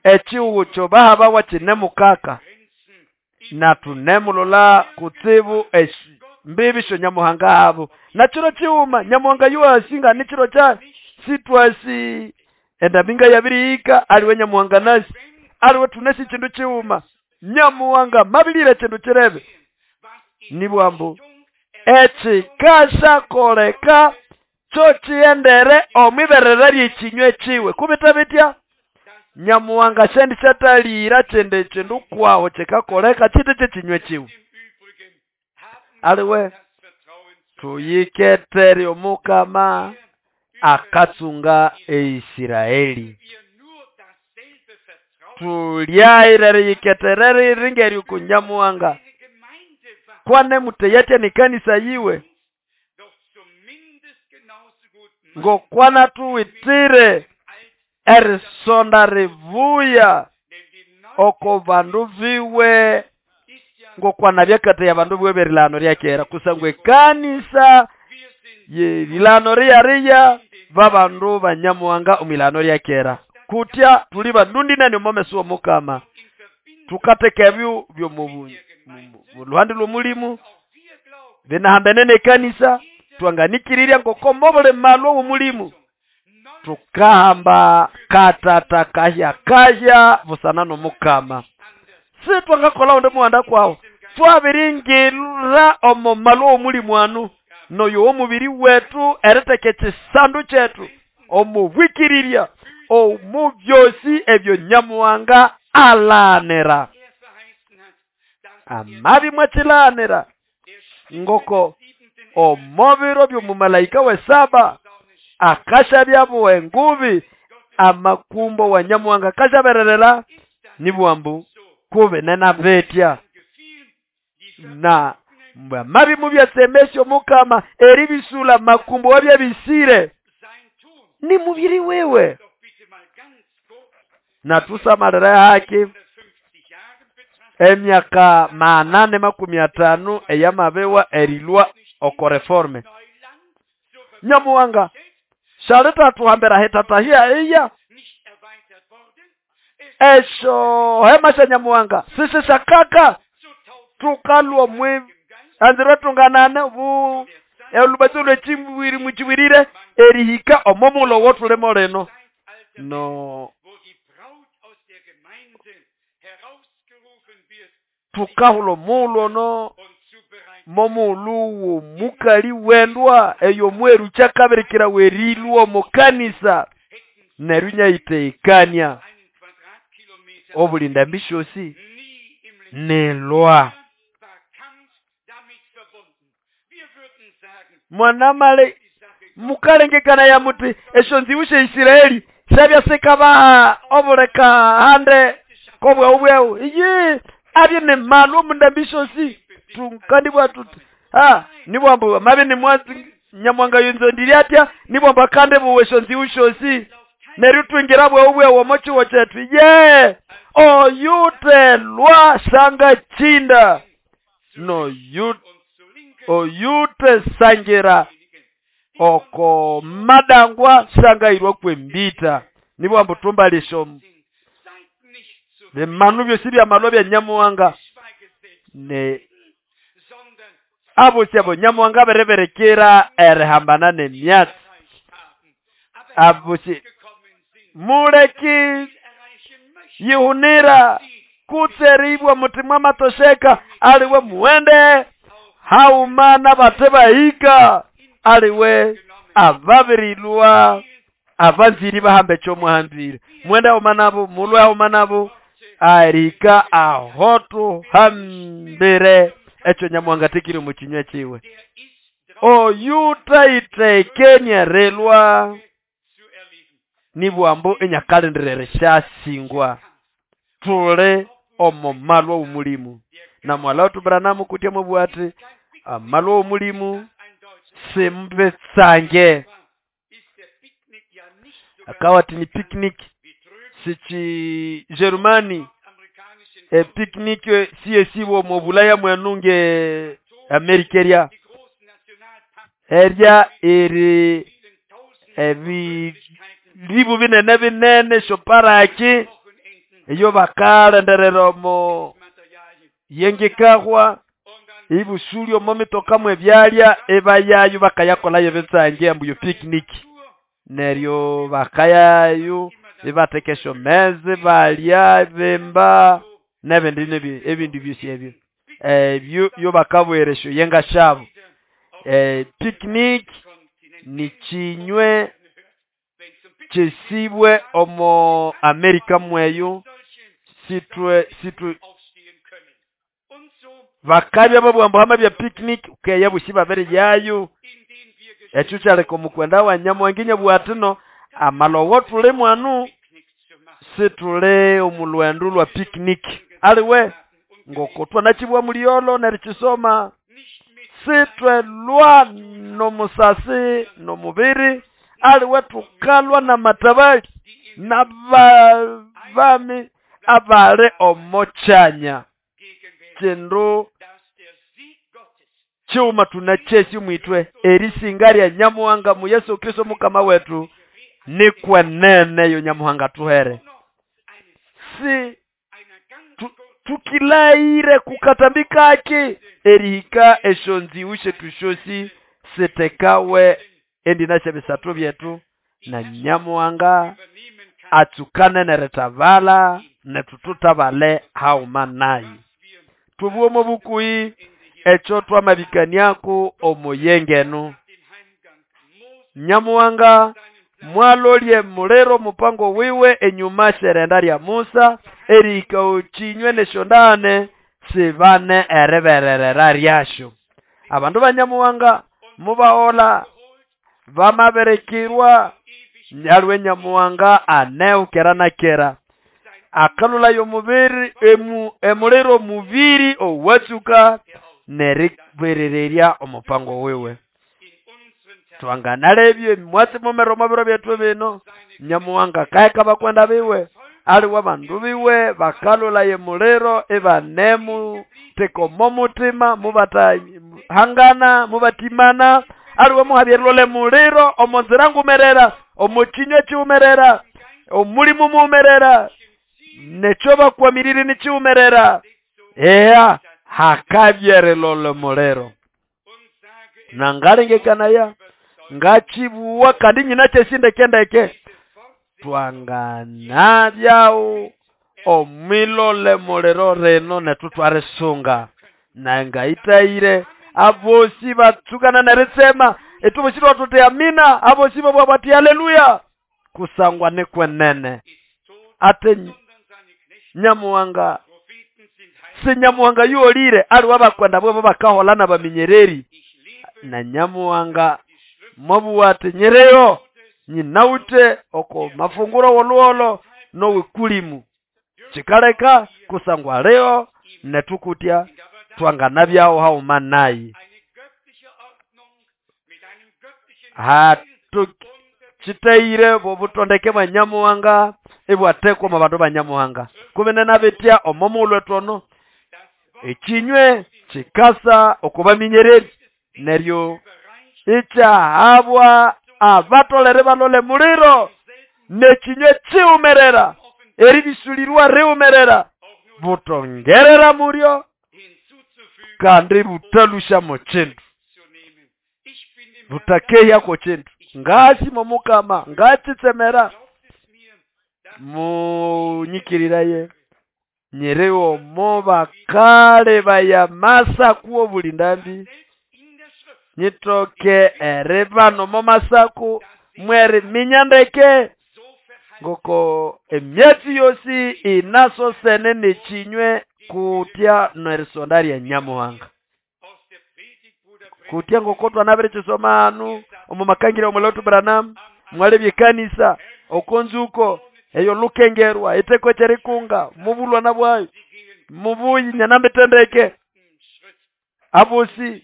echihugo kyobahabawa kinemukaka na tunemulola kutsibu mbibi sho nyamuhanga abo na chiro chiuma nyamuhanga yuasi ni chiro cha sitwasi endabinga yabirihika aliwe nyamuhanga nasi aliwe tunesi chindu chiuma nyamuhanga mabilire chindu chirebe nibwambu ekikashakoleka kyo chiendere omwiberere lyechinywe chiwe kubita bitya nyamuhanga shendi shatalira chende chindu kwawo chikakoleka chiti chechinywe chiwe aliwe tuyiketere omukama akatsunga eIsiraeli tulyairere yiketerere ringeri kunyamuhanga kwane muteyete ni kanisa yiwe ngokwana tuwitire erisonda rivuya oko bandu viwe ngokwana byakate ya bandu viwe berilano ryakera kusangwe kanisa yerilano riyariya babandu banyamuhanga omwilano ryakera kutya tuli bandundi nani omomeso omukama tukateka ebyo byomu luhande lw'omulimu binahambene nekanisa twanganikirirya ngoko mobule malwa w'omulimu tukahamba katata kahya kahya busana n'omukama si twangakola onde muhanda kwawo twabiringira omo malwa w'omulimu anu noyo omubiri wetu eriteka ekisandu kyetu omubwikirirya omu byosi ebyo nyamuhanga alanira amabi mwachilanira ngoko omobiro by'omumalaika wesaba akasha engubi amakumbo wa nyamuhanga kashabererera nibwambu kube nenabetya na mabi mubyasemesyo mukama eribisula makumbo wabyabisire ni mubiri wewe na tusamalira haki emyaka 850 eyamabewa erilwa oko reforme nyamuhanga shaleta tuhambera hetatahia iya esho hema sha nyamuhanga sisi shakaka tukalwa mwe anzira tunganane bu olubatso lwechiwiri muchiwirire erihika omomulo wotulemo leno no tukahulo mulo no momuluwu mukali wendwa eyo mweru chakabirikira werilwa mukanisa nerunya iteikania obulinda mbishosi nelwa mwanamale mukalengekana ya muti esho nziwushe Isiraeli shabyasekaba obuleka hande kobwa ubweu iye abye ne malu mundambishosi tukandibwa tuti ha nibwambu mabe ni mwazi nyamwanga yunzo ndiriatya nibwamba kande buwesho nziwushosi neryo twingira bwe ubwe womochiwo chetu ye oyute lwa shanga chinda no yu oyute sangira oko madangwa shanga irwa kwembita nibwambu tumbalisho bemanu byosi bya malwa bya nyamuhanga ne abo syabo nyamuhanga bereberekera erihambana nemyatsi abo muleki yihunira kutseribwa mutimwa matosheka aliwe muwende haumana bate bahika aliwe ababirilwa abanziri bahambe kyomuhambire mwende haumanabo mulwe haumanabo arika ahotu hambire ekyo nyamuhanga tikiri mukinywa kiwe oyutaitekenia relwa nibwambu enyakalendere shasingwa tule omo malwa umulimu na mwala otubranamu kutya mubwati amalwa umulimu simbetsange akawati ni picnic Sichi Germany epicnic siyesibwa omo Bulaya mwenu nge Amerika erya erya eri ebiribu binene binene esyoparaki eyo bakalenderera omo yengikahwa ibusulya omo mitoka mwebyalya ibayayo bakayakolayo ebitsange ambu yo picnic neryo bakayayo ibatheka esyomeza ibalya ibimba nebindi ebindi byosi ebyo ebyo yobakabwera esyoyenga syabo. Picnic nikinywe kyesibwe omo Amerika mweyo sitwe sitwe bakabya babughambu hamabya picnic ukeya bosi babiriyayo. Ekyo kyaleka omukwenda wa Nyamuhanga inabugha athi no amalowo thuli mwanu situli omu lwendo lwa picnic aliwe ngoko twanakibugha muliyolo nerikisoma sithwelwa nomusasi nomubiri aliwe thukalwa namatabali nabami abali omo kyanya kindu kighuma thunakyesi omwithwe erisinga lya Nyamuhanga mu Yesu Kristo Mukama wetu nikwenene yo Nyamuhanga athuhere. Si tukilaire kukatambi kaki erihika esyonziwu syethu syosi sitekawe endina syebisathu byethu na Nyamuhanga atsukane nerithabala nethu tuthabale haghuma naye. Tubuwe omo bukuhi ekyo twamabikaniako omuyengenu. Nyamuhanga mwalolye muliro mupango wiwe enyuma syerenda lya Musa erihika okinywe nesyondane sibane eribererera lyasyo. Abandu ba Nyamuhanga mubahola bamabirikirwa aliwe Nyamuhanga aneukera na kera akalulayo omubiri emuliro omubiri owatsuka neriberererya omupango wiwe. Twanganalebye mwatsi mumero omubiro byethu bino Nyamuhanga kaheka bakwenda biwe aliwe abandu biwe bakalulaye muliro ibanemu teka omo mutima mubatahangana mubatimana aliwe muhabyerilole muliro omonzira ngumerera omukinywa kiwumerera omulimu muwumerera nekyo bakwamirire nikiwumerera eya hakabyerilole muliro. Nangalengekanaya ngachibuwa kandi nyina kyesindekendeke twanganabyawo omwilole muliro rino nethu twarisunga nangaitayire abosi batsukana neritsema ethubosi twathuthi amina abosi babwa bati haleluya kusangwa nikwenene ate Nyamuhanga si Nyamuhanga yuolire aliwe abakwenda bwebo bakahola nabaminyereri na Nyamuhanga mwabuwa ati nyireyo nyinawuthe oko mafunguro woluholo nowikulimu kikaleka kusangwa leo netukutya twanganabyawo haghuma naye. Chitayire bobutondeke bwa Nyamuhanga ibwathekwa omo bandu ba Nyamuhanga kubinene bitya omo mughulhu ethu ekinywe kikasa okubaminyereri neryo ikyahabwa abatolere balole muliro nekinywe kiwumerera eribisulirwa riwumerera butongerera mulyo kandi butalusha mu kindu butakehya kindu ngasi momukama ngachitsemera munyikiriraye nyiriwo mo bakale bayamasa kuwo buli ndambi nyitoke eribano mo masaku mweri minyandeke ngoko emyatsi yosi inasosene nekinywe kutya nerisonda lya Nyamuhanga kutya ngoko twanabirikisoma anu omu makangira omulotu Branham mwalebye ekanisa okonzuko eyo lukengerwa eteko kyerikunga mubulwana bwayo mubuyi nyanambitendeke abosi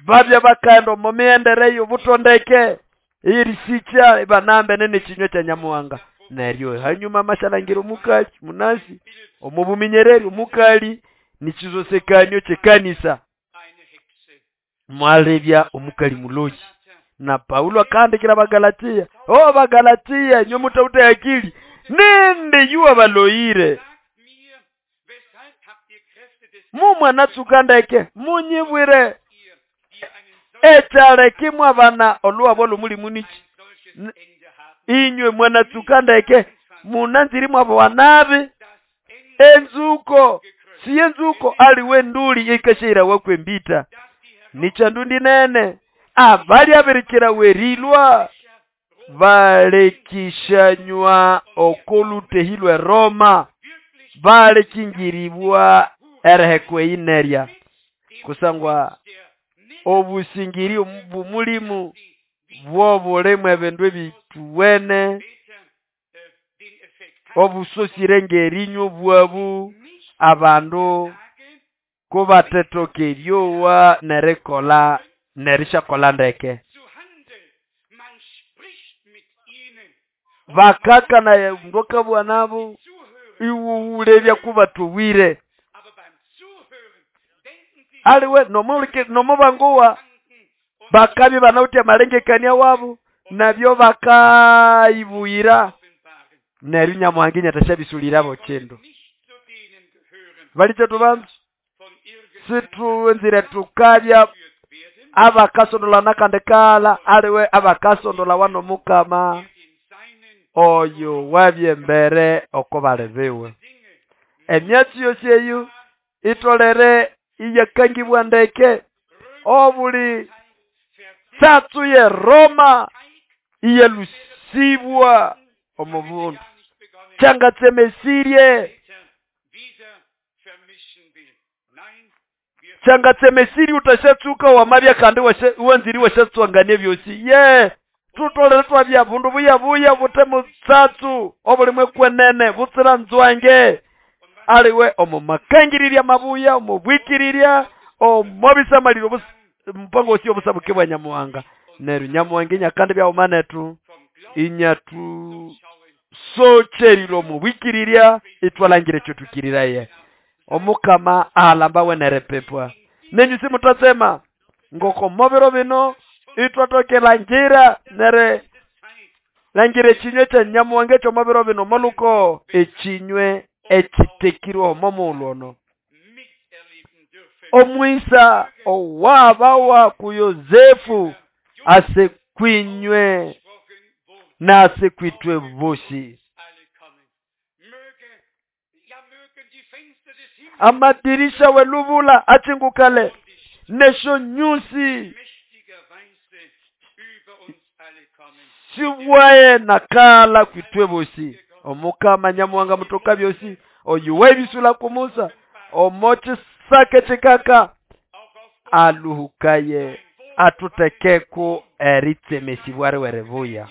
babya bakaenda omu miyendereyo butondeke irisikya ibanambe nene kinywe kya Nyamuhanga. Neryo hanyuma amashalangira omukali munasi omo buminyereri omukali nichisosekanio kyekanisa. Mwalebya omukali muloyi. Na Paulo akahandikira Abagalatia, o Bagalatia inywe mutawute akili, nindi yuwa baloyire. Mumwanatsuka ndeke munyibwire ekyaleka mwabana olwabo lw'omulimu niki. Inywe mwanatsuka ndeke munanziri mwabowa nabi. Enzuko si enzuko aliwe nduli ikashaira kwembita nichandundi nene abali abirikira werilwa balekishanywa okolutehilwe Roma balekingiribwa erehekwe inerya kusangwa obusingiri bumulimu bwobulimu ebindu ebituwene obusosire ngerinywa bwabu abandu kubatetoka eryowa nerikola nerishakola ndeke. Bakaka naye ndokabwa nabo iwuwulebya kubatubwire aliwe nomulike nomubanguwa bakabi banautia malengekania wabo nabyo bakaibuyira neryo Nyamuhangi nyatashabisulirabo kindu. Balicho tubanzu situwenzire tukabya abakasondola nakandekala aliwe abakasondola wano mukama oyo wabyembere oko balebiwe. Emyatsi yosi eyo itolere iyakangibwa ndeke obuli tsatsu ye Roma iyelusibwa omubundu changatsemesirie changatsemesiri utashatsuka wamabya kandi wanziri washatswanganie byosi ye tutolere twabya bundu buya buya butemo tsatsu obulimwe kwenene butsira nzwange aliwe omo makangirirya mabuya omo bwikirirya omo bisamaliro mpango osio busabuke bwa Nyamuhanga. Neryo Nyamuhanga inyakandi byaumanetu inyatu socherilo mu bwikirirya itwalangire kyotukiriraye. Omukama alamba wenerepepwa nenyu simutatsema ngoko mobiro bino itwatokela ngira nere langire ekinywe kya Nyamuhanga ekyo mobiro bino moluko ekinywe ekitekirwe omomulwono. Omwisa owabawa ku Yosefu ase kwinywe nase kwitwe bosi. Amadirisha welubula achingukale nesho nyusi siwaye nakala kwitwe bosi. Omukama Nyamuhanga mutoka byosi oyuwe bisula ku Musa omochi sake chikaka aluhukaye atutekeku eritsemesibware werebuya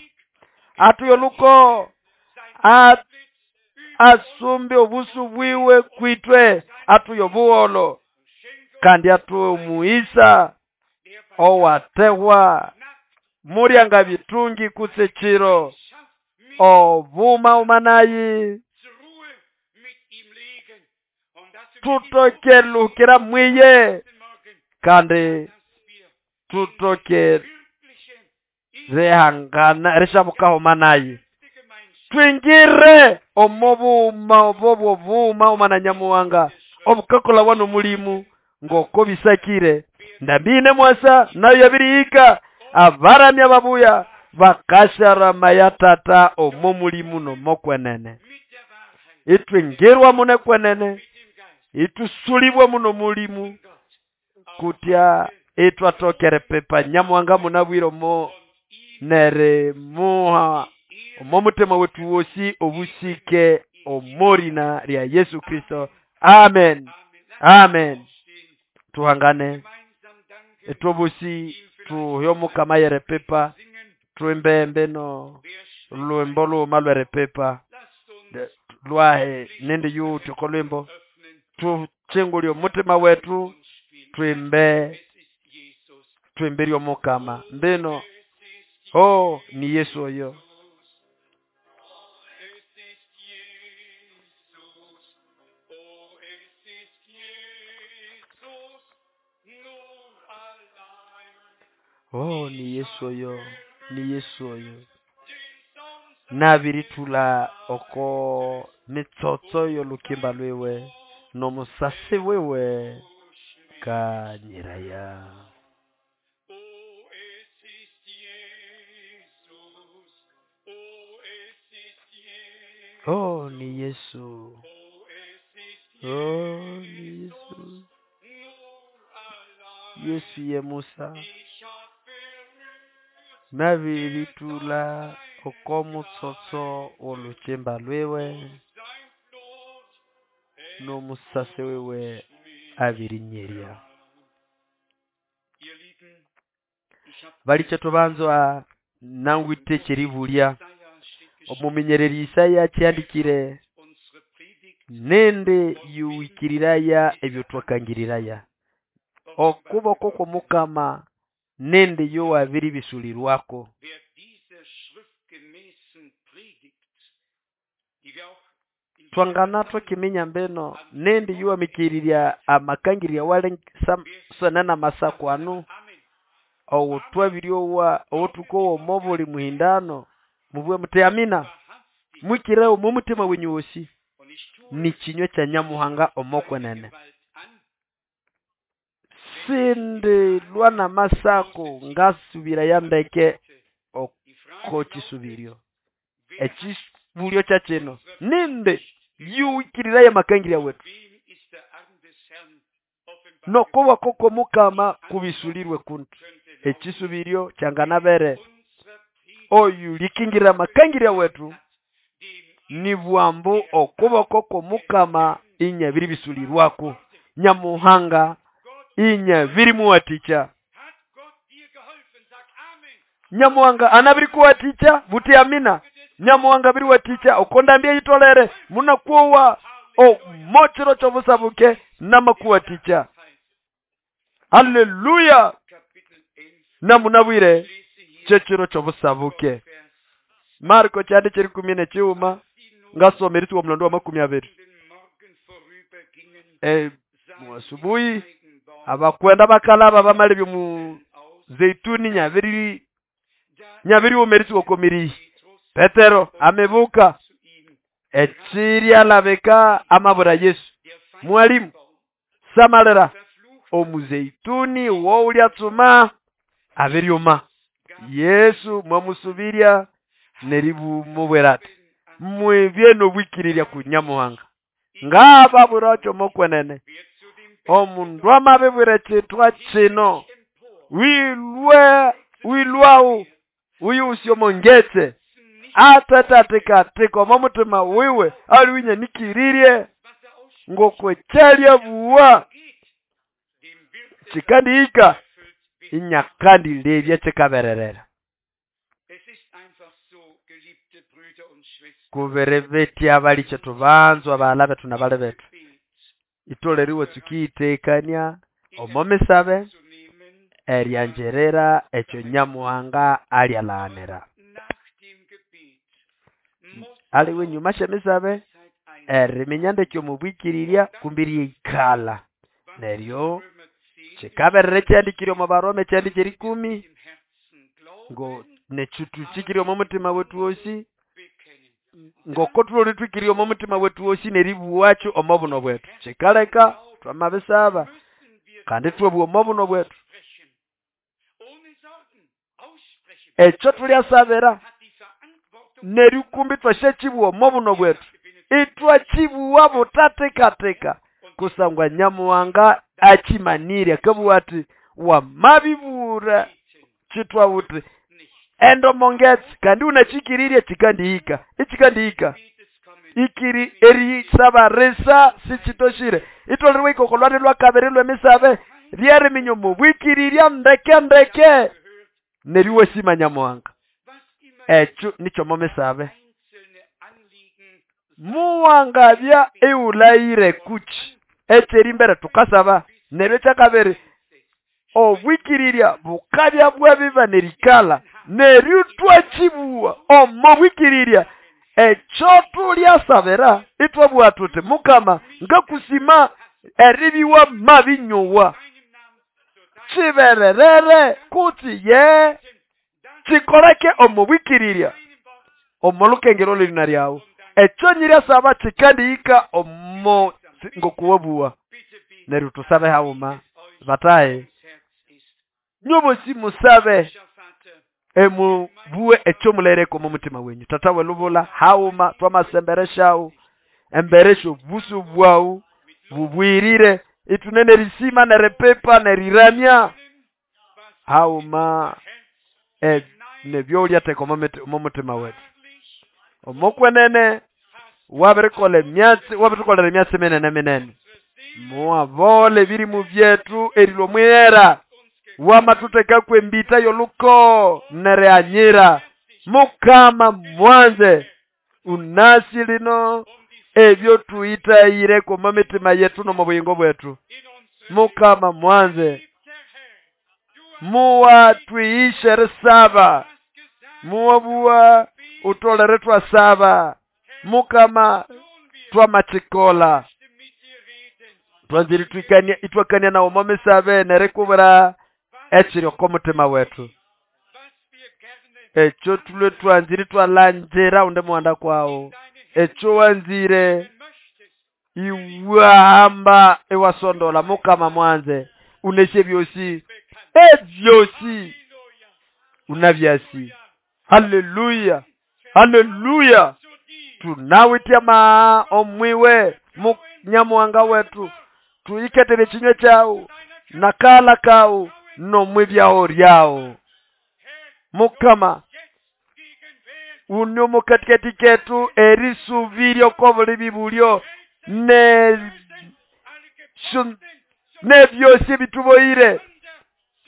atuyoluko asumbe obusu bwiwe kwitwe atuyobuholo kandi atumuisa owatehwa muryanga bitungi kutse chiro obuma umanayi tutokelukira mwiye kandi tutoke rehangana rishabukaho manayi twingire omobuma obobwo buma umana Nyamuhanga obukakola wano mulimu ngoko bisakire ndambine mwasa nayo yabirihika abaramya babuya bakasharama ya tata omo mulimu nomokwenene itwingirwa mune kwenene itusulibwa muno mulimu kutya itwatokere pepa Nyamuhanga munabwire omo nere muha omo mutima wetu wosi obusike omorina lya Yesu Kristo. Amen. Amen. Tuhangane etobusi tuyomuka yere pepa tuimbembe no lwimbo luma lwere pepa lwahe nindi yuti kolwimbo tuchingulyo mutima wetu tuimbe tuimbirio mukama mbino oh ni Yesu oyo. Oh, ni Yesu oyo, ni Yesu oyo. Nabirithula oko mitsotso y'olukimba lwiwe n'omusasi wiwe kanyiraya. Oh, es ist Jesus. Oh, es ist Jesus. Oh, ni Yesu. Oh, es ist Oh, ni Jesus. Yesu. Nur allein. Yesu ye Musa. Ich hab berührt Nabirithula oko mutsotso w'olukimba lwiwe sein Blut. n'omusasi wiwe abirinyerya. Ihr Lieben, ich hab Balikye tubanzwa nangwite kyeribulya. Jesaja steht geschrieben, Omumenyereri Isaya kyandikire unsere Predigt nende yuwikiriraya ebyo twakangiriraya. Okuboko kw'Omukama nende yowabiribisulirwako. Wer dieser schriftgemäßen Predigt, die wir auch in Twangana twakiminya mbeno nende yuwamikirirya amakangirya wale sana masako anu Amen. owutwabiryowa owutukowa omo buli muhindano mubwe muti amina Wahrhaftig. mwikire omo mutima wenyu wosi Und ich tue ni kinywa kya Nyamuhanga omokwenene. Gewalt an, Sindi lwa namasako ngasubira ya ndeke Die Frage oko lautet, kisubiryo. wer Ekibulyo kya kino ninde yuwikirirayo amakangirya wetu wem ist der Arm des Herrn offenbar nokuboko kw'Omukama kubisulirwe kuntu. könnte lauten, Ekisubiryo kyanganabere unserer Predigt oyu likingirira amakangirya wetu dem ni bwambu okuboko kw'Omukama inyabiribisulirwako. Nyamuhanga inyabirimuwatikya. Hat Gott dir geholfen? Sag Amen. Nyamuhanga anabirikuwatikya buti amina. Nyamuhanga abiriwatikya okondambya yitolere munakuwa omochiro ky'obusabuke namakuwatikya. Haleluya! Kapitel 11. Namunabwire Ich lese hier kyekiro ky'obusabuke. Vers Marko kyandi kyeri kumi n'ekiwuma ngasoma erituwa omulondo wa 20. den Morgen vorübergingen, sahen Muasubuhi sie Feigenbaum abakwenda bakalaba bamala ebyomu aus. zeituni nyabiri Da nyabiriwuma komiri. Petrus Petero amebuka zu ihm, ekiryalabeka amabura Yesu. der Mwalimu, Feigenbaum samalira verflucht omuzeituni wowulyatsuma abiryuma. Yesu mwamusubirya neribumubwira ati mwibye n'obwikirirya ku Nyamuhanga. Ngababura kyomokwenene wer zu dem omundu amabibwira kyitwa kino empor wilwe wilwawu uyu usyomongetse atatatikatiko omo mutima wiwe aliwinyanikiririe was er ausspricht, ngokwekyalya buwa geht, dem wird es kikandihika erfüllt werden. inyakandilebya kikabererera. Es ist einfach so, geliebte Brüder und Schwestern, Kubere betya balikye tubanzwa baghala bethu nabali bethu Gebet itoleriwe tsukiyitekania omo misabe zu nehmen, eryanjerera ekyo Nyamuhanga alyalaghanira. nach dem Gebet muss Aliwe nyuma syemisabe Zeit ein, eriminya ndeke omubwikirirya kumbi ryikalha neryo Römer 10 kikaberera ekyandikire omu Baroma ekyandi kyerikumi im Herzen glauben, ngo nekyo omo mutima wetu wosi bekennen. ngoko tuloli twikirye omo mutima wetu wosi neribuwakyo omo buno bwetu. Kikaleka twamabisaba Müssen wir kandi twabugha omo buno bwetu. sprechen, ohne Sorgen aussprechen, Ekyo tulyasabira hat die Verantwortung nerikumbi twasyakibuwa omo buno bwetu. Itwakibuwa butatekateka kusangwa Nyamuhanga akimanire akabuwa ati wamabibura kitwa buti nicht. endomongetse kandi unakikirirye kikandihika ikikandihika Gebetes kommen, ikiri erisabarisa sikitoshire itoleriwe ikoko lwali lwakabiri lwemisabe lyeriminya omubwikirirya ndeke ndeke gehört, neriwesima Nyamuhanga. was immer Ekyo nikyo momisabe. einzelne Anliegen Muwangabya iwulayire kuki ekyerimbere tukasaba neryo ekyakabiri obwikirirya bukabya bwabiba nerikala neryo twakibuwa omo bwikirirya ekyo tulyasabira itwabugha tuti Mukama ngakusima eribiwa mabinyowa meinem Namen zur Chibererere kutsi ye chikoleke omubwikirirya omolukengero lina lyawu ekyo nyiryasaba chikandihika omo ngokuwabuwa neryo tusabe hauma bataye nyobosi musabe emubuwe ekyo mulereko omo mutima wenyu. Tata welubula hauma twamasembereshawu emberesha obusu bwawu bubwirire itunene risima nerepepa neriramya hauma nebyolyatheka omo mutima wetu omokwenene wabirikolha emyatsi wabirikolera emyatsi minene minene muwabole ebirimu byetu erilwa omwihera wamathuthekaku embita yoluko neryanyira mukama mwanze unasi lino ebyo tuyitayireko omo mitima yetu nomo buyingo bwetu mukama mwanze muwatwihishe risaba muwabuwa utolere twasaba mukama twamachikola twanziri twikania itwakania nawo momisabe nerikubura ekiri oko mutima wetu ekyo tulwe twanziri twalanjira unde muwanda kwawo ekyo wanzire iwahamba iwasondola mukama mwanze uneshe byosi ebyosi unabyasi. Haleluya, haleluya. Tunawitya maa omwiwe munyamuwanga wetu tuyiketere chinywe chawu nakala kawu nomwibyawo lyawo mukama unio mukatikati ketu erisubirio kobuli bibulyo nebyosi bituboyire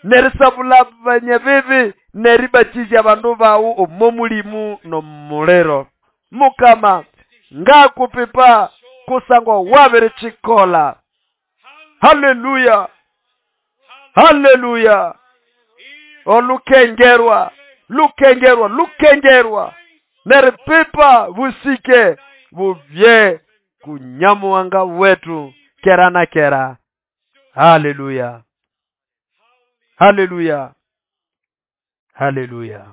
nerisabula banyabibi neribachizya abandu bawu omo mulimu nomuliro mukama ngakupipa kusangwa wabirichikola. Haleluya, haleluya. Olukengerwa lukengerwa lukengerwa neripipa busike bubye kunyamuwanga wetu kera na kera. Haleluya, haleluya, haleluya.